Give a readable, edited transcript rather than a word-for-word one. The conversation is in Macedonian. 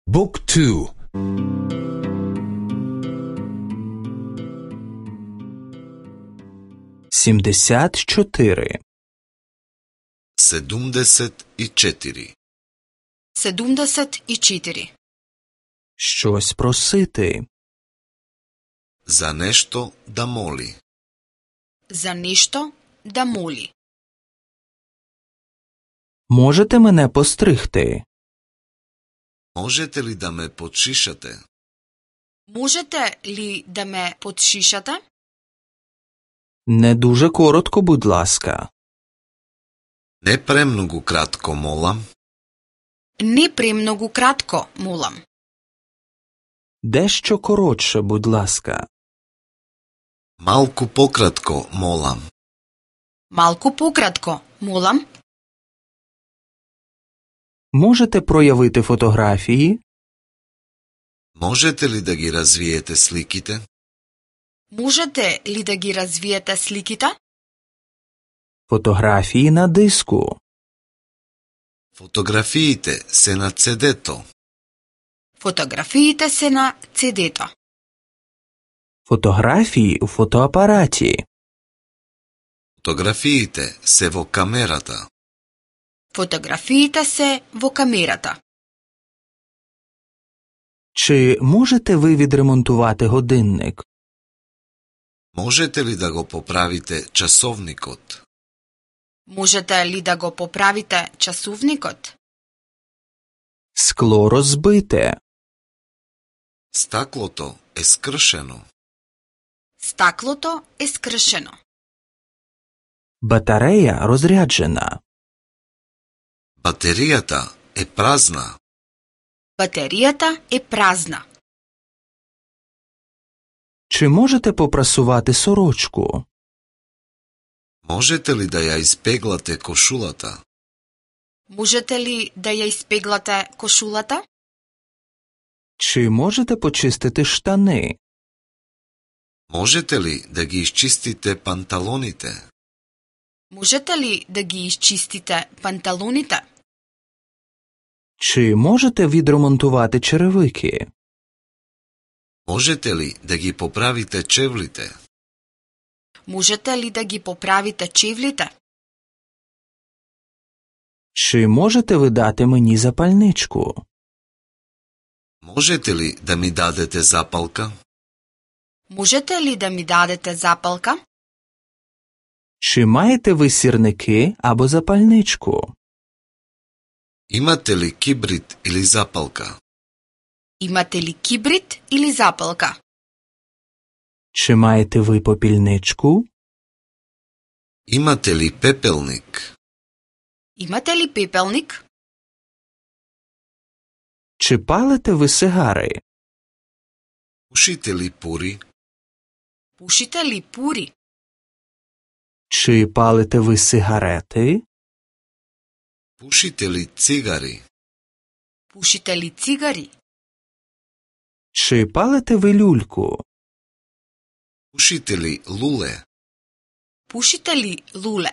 Book 2. 74. 74. 74. Щось просити. За нешто да моли. За нешто да моли. Можете мене постригти? Можете ли да ме подшишате? Можете ли да ме подшишате? Не дуже коротко, будь ласка. Не премногу кратко, молам. Не премногу кратко, молам. Дещо коротше, будь ласка. Малку пократко, молам. Малку пократко, молам. Можете проявити фотографії? Можете ли да ги развиете сликите? Можете ли да ги развиете сликите? Фотографії на диску. Фотографиите се на CD-то. Фотографиите се на CD-то. Фотографії у фотоапараті. Фотографиите се во камерата. Фотографиите се во камерата. Чи можете ви відремонтувати годинник? Можете ли да го поправите часовникот? Можете ли да го поправите часовникот? Скло розбите. Стаклото е скршено. Стаклото е скршено. Батарея розряджена. Батеријата е празна. Батеријата е празна. Чи можете попрасувати сорочку? Можете ли да ја испеглате кошулата? Можете ли да ја испеглате кошулата? Чи можете почистити штани? Можете ли да ги исчистите панталоните? Можете ли да ги изчистите панталоните? Чи можете відремонтувати черевики? Можете ли да ги поправите чевлите? Можете ли да ги поправите чевлите? Чи можете ви дати мені запальничку? Можете ли да ми дадете запалка? Можете ли да ми дадете запалка? Чи маєте ви сірники або запальничку? Имате ли кибрид или запалка? Имате ли кибрид или запалка? Чи маєте ви попільничку? Имате ли пепелник? Имате ли пепелник? Чи палите ви сигари? Пушите ли пури? Пушите ли пури? Чи палите ви сигарети? Пушите ли цигари? Пушите ли цигари? Чи палите ви люльку? Пушите ли луле? Пушите ли луле?